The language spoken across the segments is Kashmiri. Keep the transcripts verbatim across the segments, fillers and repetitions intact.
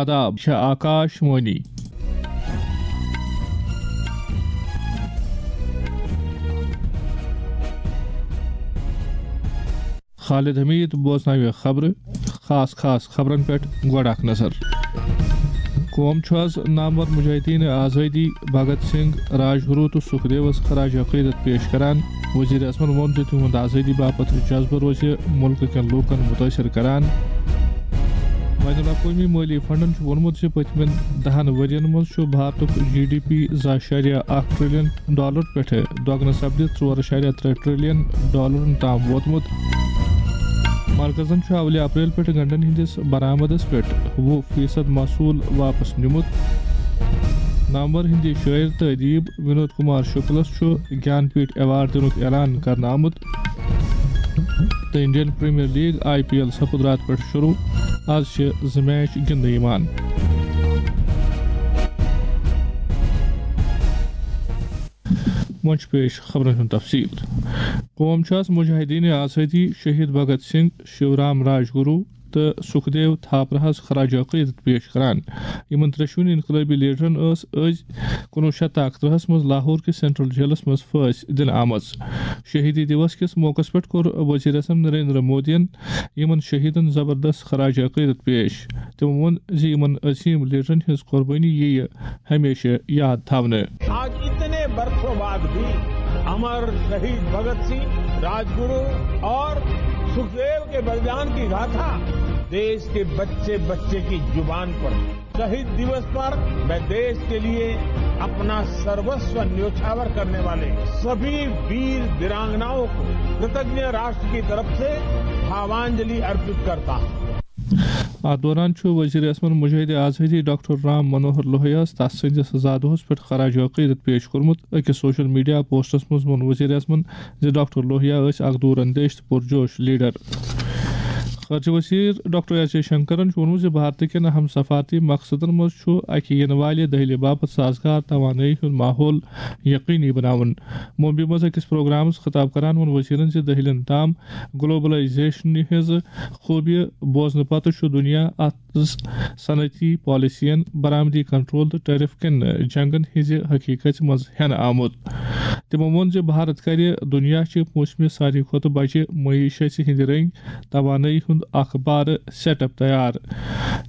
آداب، چھِ آکاش وانی۔ خالد حمید بوزناوِ خبرٕ، خاص خاص خبرن پٮ۪ٹھ گۄڈٕ اکھ نظر۔ قوم چھُ آز نامور مجاہدین آزٲدی بھگت سنگھ، راج گرو تہٕ سکھدیوس خراج عقیدت پیش کران۔ وزیر اعظمن ووٚن زِ تِہُنٛد آزٲدی باپتھ جذبہٕ روزِ مُلکہٕ کٮ۪ن لوٗکن مُتٲثِر کران۔ بین الاقوٲمی مٲلی فنڈن چھُ ووٚنمُت زِ پٔتمٮ۪ن دَہن ؤرین منٛز چھُ بھارتُک جی ڈی پی زٕ اَشاریہ اکھ ٹریلین ڈالر پٮ۪ٹھٕ دۄگنہٕ سپدِتھ ژور اَشاریہ ترٛےٚ ٹریلین ڈالرن تام ووتمُت۔ مرکزن چھُ اولہِ اپریل پٮ۪ٹھٕ گنڈن ہٕنٛدِس برآمدس پٮ۪ٹھ وُہ فیصد محصول واپس نیومُت۔ نامور ہِندی شٲعر تہٕ ادیب ونود کمار شکلس چھُ گیان پیٹھ ایوارڈ دِنُک اعلان کرنہٕ آمُت۔ تہٕ Indian premier league, I P L, سپُد راتہٕ پٮ۪ٹھ شروع۔ آز چھِ زٕ میچ گِنٛدنہٕ یِوان۔ وۄنۍ چھُ پیش خبرن ہُنٛد تفصیل۔ قوم چھُ آز مجاہدین آزٲدی شہید بھگت سنگھ، شیورام راج گرو تہٕ سکھدیو تھاپرہس خراج عقیدت پیش کران۔ یِمن ترٛٮ۪شوٕنی انقلٲبی لیڈرن ٲس أزۍ کُنوُہ شیٚتھ تہٕ اَکترٛہس منٛز لاہور کِس سینٹرل جیلس منٛز پھٲنٛسۍ دِنہٕ آمٕژ۔ شہیدی دیوس کِس موقعس پٮ۪ٹھ کوٚر وزیر اعظم نریندر مودیَن یِمن شہیدن زبردست خراج عقیدت پیش۔ تِمو ووٚن زِ یِمن عظیم لیڈرن ہٕنٛز قربٲنی یِیہِ ہمیشہ یاد تھاونہٕ۔ आज इतने बरसों बाद भी अमर शहीद भगत सिंह, राजगुरु और सुखदेव के बलिदान की गाथा देश के बच्चे बच्चे की जुबान पर। शहीद दिवस पर मैं देश के लिए अपना सर्वस्व न्योछावर करने वाले सभी वीर वीरांगनाओं को कृतज्ञ राष्ट्र की तरफ से भावांजलि अर्पित करता हूँ। اتھ دوران چھُ وزیر اعظمن مجاہد آزادی ڈاکٹر رام منوہر لوہیاہس تس سٕنٛدِس زادہس پٮ۪ٹھ خراج عقیدت پیش کوٚرمُت۔ أکِس سوشل میڈیا پوسٹس منٛز ووٚن وزیر اعظمن زِ ڈاکٹر لوہیا ٲسۍ اکھ دوٗر اندیش تہٕ پُرجوش لیڈر۔ خارجہ وزیر ڈاکٹر ایس جے شنکرن چھُ ووٚنمُت زِ بھارت کٮ۪ن اہم سفارتی مقصدن منٛز چھُ اکہِ یِنہٕ والہِ دٔہلہِ باپتھ سازگار توانٲیی ہُنٛد ماحول یقینی بناوُن۔ ممبئی منٛز أکِس پروگرامس خطاب کران ووٚن وزیرن زِ دٔہلٮ۪ن تام گلوبلائزیشنہِ ہٕنٛز خوٗبیہِ بوزنہٕ پتہٕ چھُ دُنیا اتھ صنعتی پالیسین، برآمدی کنٹرول تہٕ ٹیرف کٮ۪ن جنگن ہٕنٛزِ حقیقژِ منٛز ہٮ۪نہٕ آمُت۔ تِمو ووٚن زِ بھارت کرِ دُنیا چہِ موسمہِ ساروی کھۄتہٕ بجہِ معیشتہِ ہٕنٛدِ رٔنگۍ توانٲیی ہُنٛد اکھ بارٕ سیٹ اپ تیار۔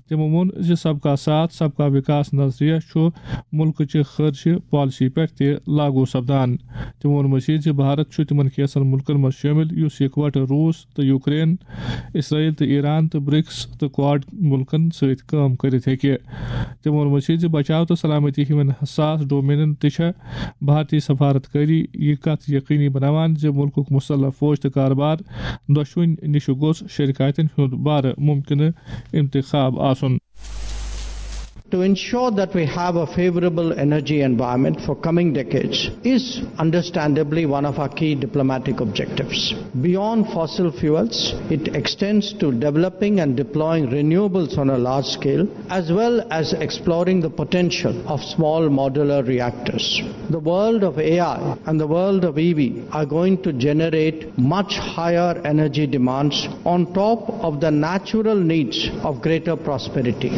تِمو ووٚن زِ سب کا ساتھ، سب کا وکاس نظریہ چھُ مُلکہٕ چہِ خارجہ پالیسی پٮ۪ٹھ تہِ لاگو سپدان۔ تِمو ووٚن مزید زِ بھارت چھُ تِمن کینٛژن مُلکن منٛز شٲمِل یُس یِکوٹہٕ روٗس تہٕ یوکرین، اسرائیل تہٕ ایران تہٕ برکس تہٕ کواڈ مُلکن سۭتۍ کٲم کٔرِتھ ہیٚکہِ۔ تِمو ووٚن مزید زِ بچاو تہٕ سلامتی ہِوٮ۪ن حساس ڈومینن تہِ چھےٚ بھارتی سفارت کٲری یہِ کتھ یقینی بناوان زِ مُلکُک مسلح فوج تہٕ کارٕبار دۄشوٕنی نِش گوٚژھ شرکاتن ہُنٛد بارٕ ممکنہٕ انتخاب آسُن۔ To ensure that we have a favorable energy environment for coming decades is understandably one of our key diplomatic objectives. Beyond fossil fuels, it extends to developing and deploying renewables on a large scale, as well as exploring the potential of small modular reactors. The world of A I and the world of E V are going to generate much higher energy demands on top of the natural needs of greater prosperity.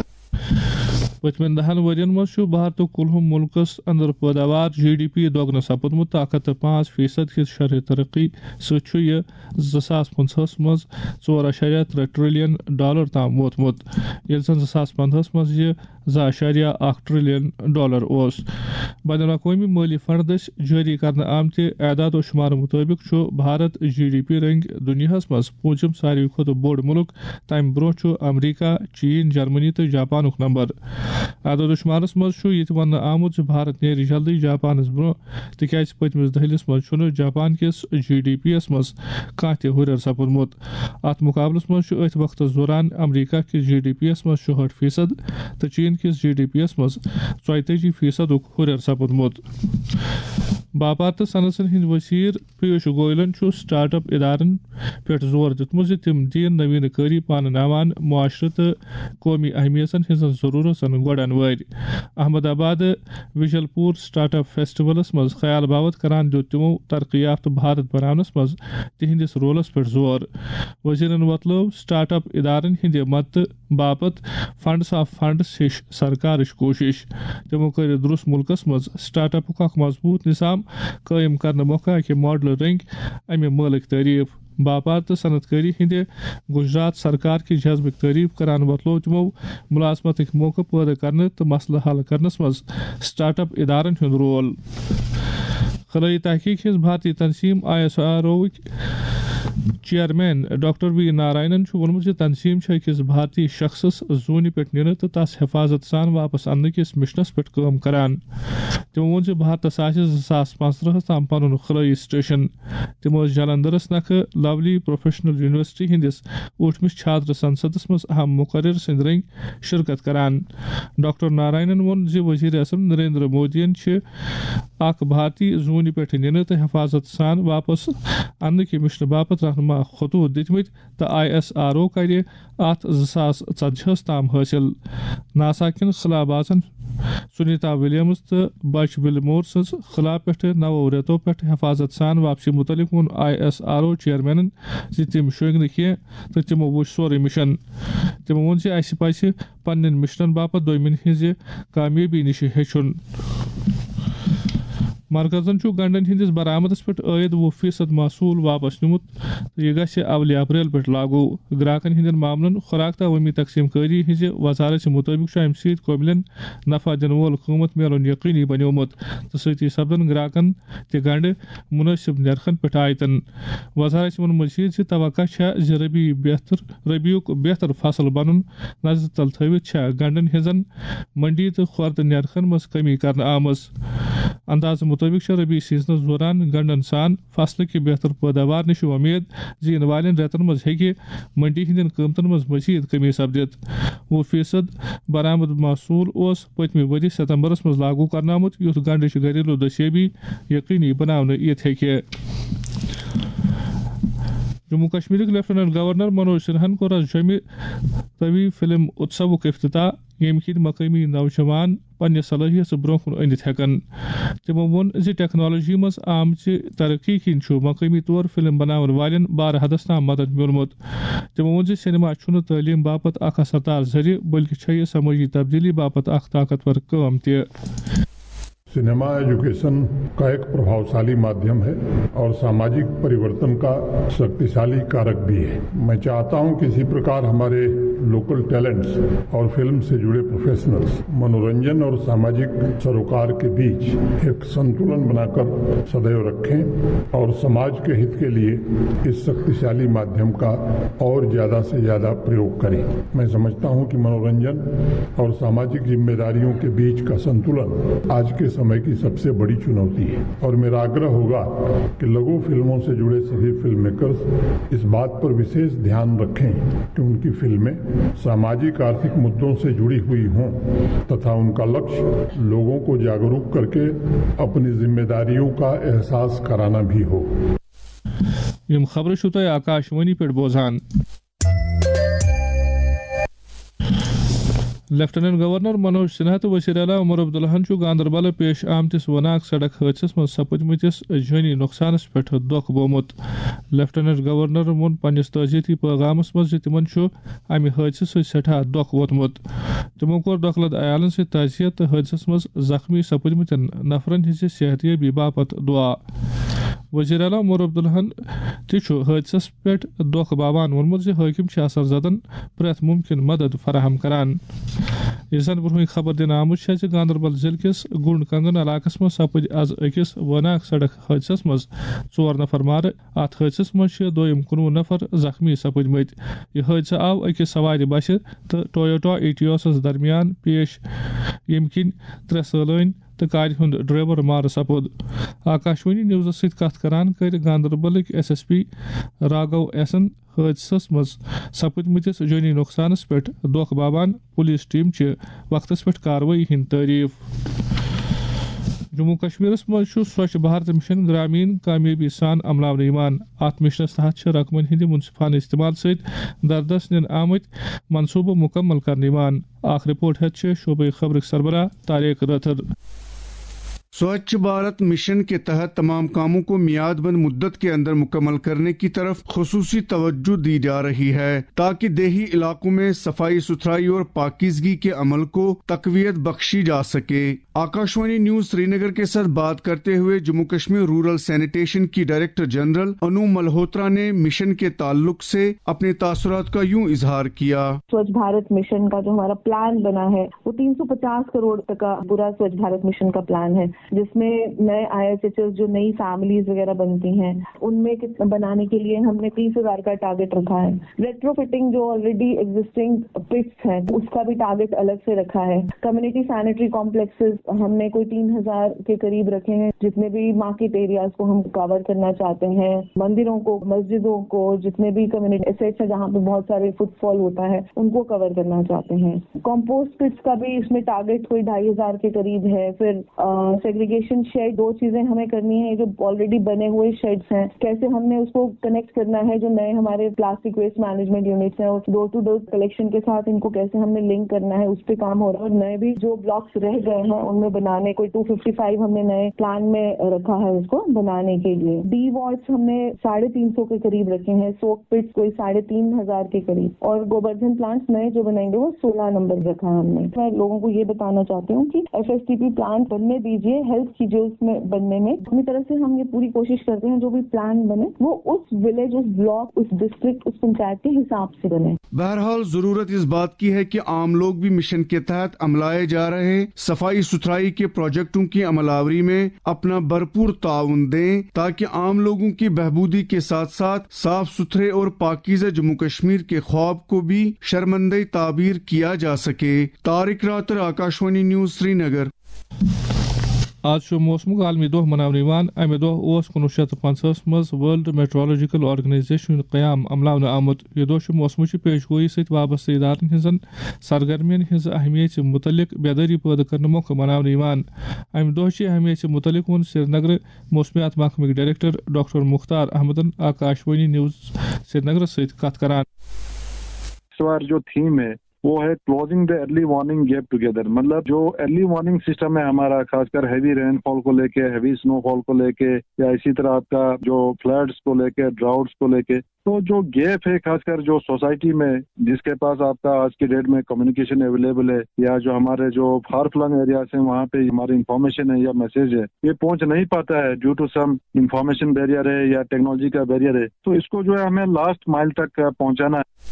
پٔتمٮ۪ن دَہَن ؤرین منٛز چھُ بھارتُک کُلہُم مُلکَس اندر پٲداوار، جی ڈی پی، دۄگنہٕ سپُدمُت تہٕ اکھ ہَتھ تہٕ پانٛژھ فیصد کِس شرحہِ ترقی سۭتۍ چھُ یہِ زٕ ساس پٕنٛژٕہَس منٛز ژور اَشاریہ ترٛےٚ ٹریلین ڈالر تام ووتمُت، ییٚلہِ زَن زٕ ساس پنٛداہَس منٛز یہِ زٕ اَشاریہ اکھ ٹریلین ڈالر اوس۔ بین الاقوٲمی مٲلی فنڈ دٔسۍ جٲری کرنہٕ آمتہِ اعداد و شمارٕ مُطٲبِق چھُ بھارت جی ڈی پی رٔنٛگۍ دُنیاہَس منٛز پوٗنٛژِم ساروی کھۄتہٕ بوٚڑ مُلک۔ تَمہِ برٛونٛہہ چھُ امریکہ، چین، جرمنی تہٕ جاپانُک نمبر۔ اعداد و شمارَس منٛز چھُ یہِ تہِ وننہٕ آمُت زِ بھارت نیرِ جلدی جاپانَس برٛونٛہہ، تِکیازِ پٔتمِس دٔہلِس منٛز چھُنہٕ جاپان کِس جی ڈی پی یَس منٛز کانٛہہ تہِ ہُرٮ۪ر سپُدمُت۔ اَتھ مُقابلَس منٛز چھُ أتھۍ وقتَس دوران امریکہ کِس جی ڈی پی یَس منٛز شُہٲٹھ فیصد تہٕ چین کِس جی ڈی پی یَس منٛز ژۄیتٲجی فیصدُک ہُرٮ۪ر سپُدمُت۔ باپار تہٕ صنعتن ہٕنٛدۍ وزیر پیوش گویلن چھُ سٹارٹ اپ ادارن پٮ۪ٹھ زور دیُتمُت زِ تِم دِیِن نوینہٕ کٲری پانہٕ نوان معاشرٕ تہٕ قومی اہمیتن ہٕنٛزن ضروٗرتن گۄڈن وٲرۍ۔ احمد آباد وجل پور سٹارٹ اپ فیسٹیولس منٛز خیال باوت کران دیُت تِمو ترقی یافتہٕ بھارت بناونس منٛز تِہنٛدِس رولس پٮ۪ٹھ زور۔ وزیرن وۄتلٲو سٹارٹ اپ ادارن ہٕنٛدِ مدتہٕ باپتھ فنڈس آف فنڈس ہِش سرکارٕچ کوٗشش۔ تِمو کٔر درست مُلکس منٛز سٹارٹ اپُک اکھ مضبوٗط نظام قٲیِم کرنہٕ مۄکھٕ اکہِ ماڈلہٕ رٔنگۍ امہِ مٲلٕکۍ تعریف۔ باپار تہٕ صنعت کٲری ہٕنٛدِ گجرات سرکار کہِ جذبٕکۍ تعریف کران وۄتلوو تِمو ملازمتٕکۍ موقعہٕ پٲدٕ کرنہٕ تہٕ مسلہٕ حل کرنس منٛز سٹارٹ اپ ادارن ہُنٛد رول۔ خلٲیی تحقیق ہٕنٛز بھارتی تنظیم آئی ایس آر اووٕکۍ چیئرمین ڈاکٹر وی ناراینن چھُ ووٚنمُت زِ تنظیم چھِ أکِس بھارتی شخصس زوٗنہِ پٮ۪ٹھ نِنہٕ تہٕ تس حفاظت سان واپس اننہٕ کِس مشنس پٮ۪ٹھ کٲم کران۔ تِمو ووٚن زِ بھارتس آسہِ زٕ ساس پانٛژترٕہس تام پنُن خلٲیی سٹیشن۔ تِم ٲسۍ جلندرس نکھٕ لولی پروفیشنل یونیورسٹی ہٕنٛدِس ٲٹھمِس چھاتر سنسدس منٛز اہم مقرر سٕنٛدۍ رٔنگۍ شرکت کران۔ ڈاکٹر ناراینن ووٚن زِ وزیر اعظم نریندر مودیَن چھِ اکھ بھارتی زوٗنہِ پٮ۪ٹھ نِنہٕ تہٕ حفاظت سان واپس اننہٕ کہِ مشنہٕ باپتھ رہنما خطوط دِتمٕتۍ تہٕ آئی ایس آر او کرِ اتھ زٕ ساس ژتجی ہس تام حٲصِل۔ ناسا کٮ۪ن خلا بازن سنیتا ولیمز تہٕ بچ وِلمور سٕنٛز خلا پٮ۪ٹھٕ نَوو رٮ۪تو پٮ۪ٹھ حفاظت سان واپسی مُتعلق ووٚن آئی ایس آر او چیئرمینن زِ تِم شۄنٛگۍ نہٕ کینٛہہ تہٕ تِمو وُچھ سورُے مشن۔ تِمو ووٚن زِ اسہِ پزِ پننٮ۪ن مشنن باپتھ دوٚیمٮ۪ن ہٕنٛزِ کامیٲبی نِش ہیٚچھُن۔ مرکزن چھُ گنڈن ہٕنٛدِس برآمدس پٮ۪ٹھ عٲید وُہ فیصد محصول واپس نیومُت تہٕ یہِ گژھِ اولہِ اپریل پٮ۪ٹھ لاگو۔ گراکن ہٕنٛدٮ۪ن معاملن، خوراک تہٕ عوٲمی تقسیم کٲری ہٕنٛزِ وزارت مُطٲبِق چھُ امہِ سۭتۍ قٲبلن نفع دِنہٕ وول قۭمت میلُن یقینی بنیومُت تہٕ سۭتی سپدن گراکن تہِ گنڈٕ مناسب نرخن پٮ۪ٹھ عائدن۔ وزارت ووٚن مزید زِ توقع چھےٚ زِ ربی بہتر، ربیُک بہتر فصل بنُن نظرِ تل تھٲوِتھ چھےٚ گنڈن ہٕنٛزن منڈی تہٕ خوردٕ نرخن منٛز کمی کرنہٕ آمٕژ۔ اندازٕ مُطٲبِق چھےٚ ربی سیزنس دوران گنڈن سان فصلٕکہِ بہتر پٲداوار نِش چھُ وۄمید زِ یِنہٕ والٮ۪ن رٮ۪تن منٛز ہیٚکہِ منڈی ہٕنٛدٮ۪ن قۭمتن منٛز مزید کمی سپدِتھ۔ وُہ فیصد برآمد محصول اوس پٔتمہِ ؤرۍ ستمبرس منٛز لاگو کرنہٕ آمُت، یُتھ گنڈٕچ گھریلو دستیٲبی یقینی بناونہٕ یِتھ ہیٚکہِ۔ جموں کشمیرٕکۍ لیفٹیننٹ گورنر منوج سنہاہن کوٚر آز جوٚمہِ طوی فلم اتسوُک افتتاح، ییٚمہِ کِنۍ مقٲمی نوجوان پننہِ صلٲحیژٕ برونٛہہ کُن أنِتھ ہٮ۪کن۔ تِمو ووٚن زِ ٹیکنالوجی منٛز آمژِ ترقی کِنۍ چھُ مقٲمی طور فلم بناون والٮ۪ن بارٕ حدس تام مدد میوٗلمُت۔ تِمو ووٚن زِ سینما چھُنہٕ تعلیٖم باپتھ اکھ اثردار ذٔریعہٕ، بلکہِ چھےٚ یہِ سمٲجی تبدیلی باپتھ اکھ طاقتور کٲم تہِ۔ सिनेमा एजुकेशन का एक प्रभावशाली माध्यम है और सामाजिक परिवर्तन का शक्तिशाली कारक भी है। मैं चाहता हूं कि इसी प्रकार हमारे लोकल टैलेंट्स और फिल्म से जुड़े प्रोफेशनल्स मनोरंजन और सामाजिक सरोकार के बीच एक संतुलन बनाकर सदैव रखें और समाज के हित के लिए इस शक्तिशाली माध्यम का और ज्यादा से ज्यादा प्रयोग करें। मैं समझता हूं कि मनोरंजन और सामाजिक जिम्मेदारियों के बीच का संतुलन आज के समय की सबसे बड़ी चुनौती है और मेरा आग्रह होगा कि लघु फिल्मों से जुड़े सभी फिल्म मेकर्स इस बात पर विशेष ध्यान रखें कि उनकी फिल्में सामाजिक आर्थिक मुद्दों से जुड़ी हुई हों तथा उनका लक्ष्य लोगों को जागरूक करके अपनी जिम्मेदारियों का एहसास कराना भी हो। یِم خبرٕ چھِو تُہۍ آکاشوانی پٮ۪ٹھ بوزان۔ لیفٹیننٹ گورنر منوج سنہا تہٕ وزیر اعلیٰ عمر عبداللہن چھُ گاندربل پیش آمتِس وناک سڑک حٲدثس منٛز سپٕدمٕتِس جٲنی نۄقصانس پٮ۪ٹھ دۄکھ بوٚومُت۔ لیفٹیننٹ گورنرن ووٚن پننِس تعزیتی پیغامس منٛز زِ تِمن چھُ امہِ حٲدثہٕ سۭتۍ سٮ۪ٹھاہ دۄکھ ووتمُت۔ تِمو کوٚر دۄکھٕ لد عیالن سۭتۍ تعزیت تہٕ حٲدثس منٛز زخمی سپٕدمٕتٮ۪ن نفرن ہٕنٛزِ صحتیٲبی باپتھ دُعا۔ وزیر اعلیٰ عمر عبداللہن تہِ چھُ حٲدثس پٮ۪ٹھ دۄکھ باوان ووٚنمُت زِ حٲکِم چھِ اثر زدن پرٛٮ۪تھ مُمکِن مدد فراہم کران۔ یہِ زن برٛونٛہٕے خبر دِنہٕ آمٕژ چھےٚ زِ گاندربل ضلعہٕ کِس گُنڈ کنگن علاقس منٛز سپٕدۍ از أکِس وناک سڑک حٲدثس منٛز ژور نفر مارٕ۔ اتھ حٲدثس منٛز چھِ دوٚیِم کُنوُہ نفر زخمی سپٕدمٕتۍ۔ یہِ حٲدثہٕ آو أکِس سوارِ بسہِ تہٕ ٹویوٹا ایٹیوسس درمیان پیش، ییٚمہِ کِنۍ ترٛےٚ سٲلٲنۍ تہٕ کارِ ہُنٛد ڈرائیور مارٕ سپُد۔ آکاشوانی نیوزس سۭتۍ کتھ کران کٔرۍ گاندربلٕکۍ ایس ایس پی راگو ایسن حٲدثس منٛز سپٕدمٕتِس جٲنی نۄقصانس پٮ۪ٹھ دۄکھ باوان پولیس ٹیم چہِ وقتس پٮ۪ٹھ کاروٲیی ہٕنٛدۍ تعریف۔ جموں کشمیرس منٛز چھُ سوچھ بھارت مشن گرامین کامیٲبی سان عملاونہٕ یِوان۔ اتھ مشنس تحت چھِ رقمن ہٕنٛدِ منصفانہٕ استعمال سۭتۍ دردس نِنہٕ آمٕتۍ منصوبہٕ مکمل کرنہٕ یِوان۔ اکھ رپورٹ ہیتھ چھِ شعبہٕ خبرٕکۍ سربراہ طارق رٲتھر۔ سوچھ بھارت مشن کے تحت تمام کاموں کو میاد بند مدت کے اندر مکمل کرنے کی طرف خصوصی توجہ دی جا رہی ہے، تاکہ دیہی علاقوں میں صفائی ستھرائی اور پاکیزگی کے عمل کو تقویت بخشی جا سکے۔ آکاشوانی نیوز سری نگر کے ساتھ بات کرتے ہوئے جموں کشمیر رورل سینیٹیشن کی ڈائریکٹر جنرل انو ملہوترا نے مشن کے تعلق سے اپنے تاثرات کا یوں اظہار کیا۔ سوچھ بھارت مشن کا جو ہمارا پلان بنا ہے، وہ تین سو پچاس کروڑ تک کا پورا سوچھ بھارت مشن کا پلان ہے، جس میں نئے آئی ایس ایچ ایس، جو نئی فیملیز وغیرہ بنتی ہیں، ان میں کت- بنانے کے لیے ہم نے تیس ہزار کا ٹارگیٹ رکھا ہے۔ ریٹرو فٹنگ جو آلریڈی ایگزسٹنگ پٹس ہیں، اس کا بھی ٹارگیٹ الگ سے رکھا ہے۔ کمیونٹی سینیٹری کمپلیکسز ہم نے کوئی تین ہزار کے قریب رکھے ہیں۔ جتنے بھی مارکیٹ ایریاز کو ہم کور کرنا چاہتے ہیں، مندروں کو، مسجدوں کو، جتنے بھی کمیونٹی ایسٹس ہیں جہاں پہ بہت سارے فٹ فال ہوتا ہے، ان کو کور کرنا چاہتے ہیں۔ کمپوسٹ پٹس کا بھی اس میں ٹارگیٹ کوئی ڈھائی ہزار کے قریب ہے۔ پھر سیگریگیشن شیڈ، دو چیزیں ہمیں کرنی ہیں۔ جو آلریڈی بنے ہوئے شیڈس ہیں، کیسے ہم نے اس کو کنیکٹ کرنا ہے، جو نئے ہمارے پلاسٹک ویسٹ مینجمنٹ یونٹس ہیں، اور ڈور ٹو ڈور کلیکشن کے ساتھ ان کو کیسے ہم نے لنک کرنا ہے، اس پہ کام ہو رہا ہے۔ اور نئے بھی جو بلاکس رہ گئے ہیں، ان میں بنانے کوئی ٹو ففٹی فائیو ہم نے نئے پلان میں رکھا ہے اس کو بنانے کے لیے۔ ڈی وارڈس ہم نے ساڑھے تین سو کے قریب رکھے ہیں، سوک پٹس کوئی ساڑھے تین ہزار کے قریب، اور گوبردھن پلانٹس نئے جو بنائیں گے، وہ سولہ نمبر رکھا ہے ہم نے۔ میں لوگوں کو یہ بتانا چاہتی ہوں کہ F S T P plant بننے دیجیے، ہیلپ کیجیے اس میں بننے میں۔ اپنی طرف سے ہم یہ پوری کوشش کرتے ہیں جو بھی پلان بنے، وہ اس ولیج، اس بلاک، اس ڈسٹرکٹ، اس پنچایت کے حساب سے بنے۔ بہرحال، ضرورت اس بات کی ہے کہ عام لوگ بھی مشن کے تحت عملائے جا رہے صفائی ستھرائی کے پروجیکٹوں کی عمل آوری میں اپنا بھرپور تعاون دیں، تاکہ عام لوگوں کی بہبودی کے ساتھ ساتھ صاف ستھرے اور پاکیزہ جموں کشمیر کے خواب کو بھی شرمندہ تعبیر کیا جا سکے۔ طارق راتر، آکاشوانی نیوز، سری نگر۔ آز چھُ موسمُک عالمی دۄہ مناونہٕ یِوان۔ اَمہِ دۄہ اوس کُنوُہ شیٚتھ تہٕ پنٛژاہَس منٛز ورلڈ میٹرولوجیکل آرگنائزیشن ہُنٛد قیام عملاونہٕ آمُت۔ یہِ دۄہ چھُ موسمٕچہِ پیش گویی سۭتۍ وابستہٕ ادارن ہٕنٛزن سرگرمین ہٕنٛز اہمیت مُتعلق بیدٲری پٲدٕ کرنہٕ مۄکھٕ مناونہٕ یِوان۔ اَمہِ دۄہ چہِ اہمیت مُتعلق ووٚن سرینگرٕ موسمیات محکمٕکۍ ڈائریکٹر ڈاکٹر مختار احمدن آکاشوانی نیوز سرینگرس سۭتۍ کتھ کران۔ اس بار جو تھیم ہے وہ ہے closing the early warning gap together, مطلب جو ارلی وارننگ سسٹم ہے ہمارا، خاص کر ہیوی رین فال کو لے کے، ہیوی سنو فال کو لے کے، یا اسی طرح آپ کا جو فلڈس کو لے کے، ڈراؤٹس کو لے کے، تو جو گیپ ہے خاص کر جو سوسائٹی میں، جس کے پاس آپ کا آج کے ڈیٹ میں کمیونیکیشن اویلیبل ہے، یا جو ہمارے جو فار فلنگ ایریاز ہیں وہاں پہ ہماری انفارمیشن ہے یا میسج ہے، یہ پہنچ نہیں پاتا ہے due to some information barrier ہے یا ٹیکنالوجی کا بیریئر ہے، تو اس کو جو ہے ہمیں لاسٹ مائل تک پہنچانا ہے۔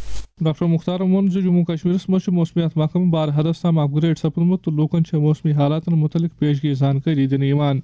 ڈاکٹر مختارن ووٚن زِ جموں کشمیرس منٛز چھُ موسمیات محکمہٕ بار حدس تام اپ گریڈ سپدمُت تہٕ لوٗکن چھےٚ موسمی حالاتن مُتعلق پیشگی زانکٲری دِنہٕ یِوان۔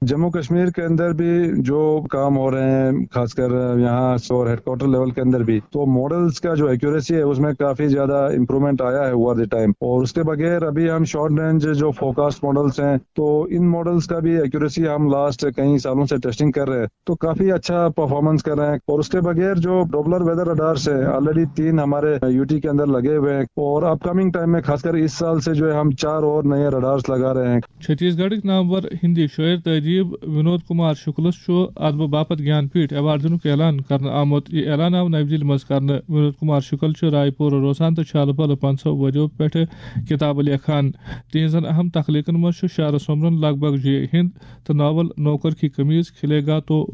جموں کشمیر کے اندر بھی جو کام ہو رہے ہیں، خاص کر یہاں اور ہیڈ کوارٹر لیول کے اندر بھی، تو ماڈلز کا جو ایکوریسی ہے اس میں کافی زیادہ امپروومنٹ آیا ہے اوور دی ٹائم۔ اور اس کے بغیر ابھی ہم شارٹ رینج جو فورکاسٹ ماڈلز ہیں، تو ان ماڈلز کا بھی ایکوریسی ہم لاسٹ کئی سالوں سے ٹیسٹنگ کر رہے ہیں، تو کافی اچھا پرفارمنس کر رہے ہیں۔ اور اس کے بغیر جو ڈوپلر ویدر رڈارس ہیں، آلریڈی تین ہمارے یو ٹی کے اندر لگے ہوئے ہیں، اور اپ کمنگ ٹائم میں خاص کر اس سال سے جو ہے ہم چار اور نئے رڈارس لگا رہے ہیں۔ چھتیس گڑھٕکۍ نامور ہندی شٲعر تہٕ ادیب ونود کمار شکلس چھُ ادبہٕ باپتھ گیان پیٹھ ایوارڈ دِنُک اعلان کرنہٕ آمُت۔ یہِ اعلان آو نَوِ دِلہِ منٛز کرنہٕ۔ ونود کمار شکل چھُ راے پوٗرٕ روزان تہٕ چھُ الہٕ پلہٕ پنٛژاہ ؤرِیو پٮ۪ٹھٕ کتابہٕ لیکھان۔ تِہنٛزن اہم تخلیقن منٛز چھُ شعرٕ سومرن لگ بھگ جے ہند تہٕ ناول نوکر کی قمیض، کھلے گا تو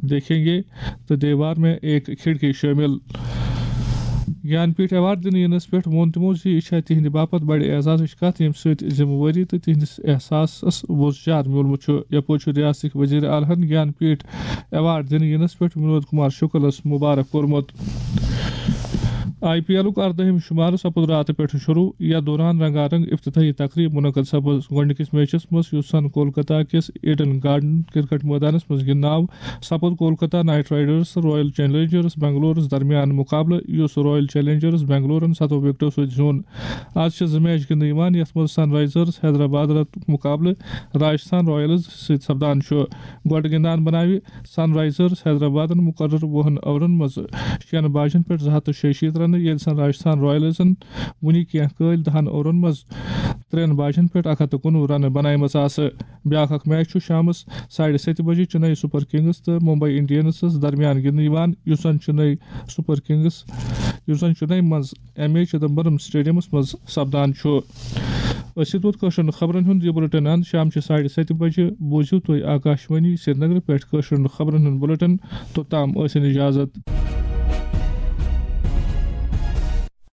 دیکھیں گے تہٕ دیوار میں ایک کھڑکی شٲمِل۔ گیان پیٹھ ایوارڈ دِنہٕ یِنس پٮ۪ٹھ ووٚن تِمو زِ یہِ چھےٚ تِہنٛدِ باپتھ بڑِ اعزازٕچ کتھ، ییٚمہِ سۭتۍ ذمہٕ وٲری تہٕ تِہنٛدِس احساسس وۄزجار میوٗلمُت چھُ۔ یپٲرۍ چھُ ریاستٕکۍ وزیر اعلیٰ ہن گیان پیٹھ ایوارڈ دِنہٕ یِنس پٮ۪ٹھ ونود کمار شکلس مبارک کوٚرمُت۔ آئی پی ایلُک اردٲہِم شُمارٕ سپُد راتہٕ پٮ۪ٹھٕ شروٗع۔ یَتھ دوران رنگا رنگ افتتاحی تقریٖب منعقد سپٕز۔ گۄڈٕنِکِس میچَس منٛز یُس زَن کولکتہ کِس ایڈن گارڈن کرکٹ مٲدانَس منٛز گِنٛدنہٕ آو، سپُد کولکتہ نائٹ رائیڈرز تہٕ رائل چیلنجرز بنگلورَس درمیان مُقابلہٕ، یُس رائل چیلنجرز بنگلورَن ستووُہ وِکٹو سۭتۍ زیوٗن۔ آز چھِ زٕ میچ گِنٛدنہٕ یِوان، یَتھ منٛز سن رائزرز حیدرآباد مُقابلہٕ راجستھان رائلز سۭتۍ سپدان چھُ۔ گۄڈٕ گِنٛدان بناوِ سن رائزرز حیدرآبادن مُقرر وُہن اوورن منٛز شیٚن باجن پٮ۪ٹھ زٕ ہتھ تہٕ شیٚیہِ شیٖتھ رنہٕ، ییٚلہِ سن راجستھان رائلزن وُنہِ کینٛہہ کٲلۍ دَہن اوورن منٛز ترٛٮ۪ن باجن پٮ۪ٹھ اکھ ہتھ تہٕ کُنوُہ رنہٕ بنایمژٕ آسہٕ۔ بیٛاکھ اکھ میچ چھُ شامس ساڑِ ستہِ بجہِ چنئی سپر کنگس تہٕ ممبئی انڈینسس درمیان گِنٛدنہٕ یِوان، یُس زن چنئی سپر کنگس، یُس زن چنئی منٛز ایم اے چدمبرم سٹیڈیمس منٛز سپدان چھُ۔ أسۍ ووت کٲشرٮ۪ن خبرن ہُنٛد یہِ بُلٹن اند شامچہِ ساڑِ ستہِ بجہِ۔ بوٗزِو تُہۍ آکاشوانی سرینگرٕ پٮ۪ٹھ کٲشرٮ۪ن خبرن ہُنٛد بُلٹن۔ توٚتام ٲسِن اجازت۔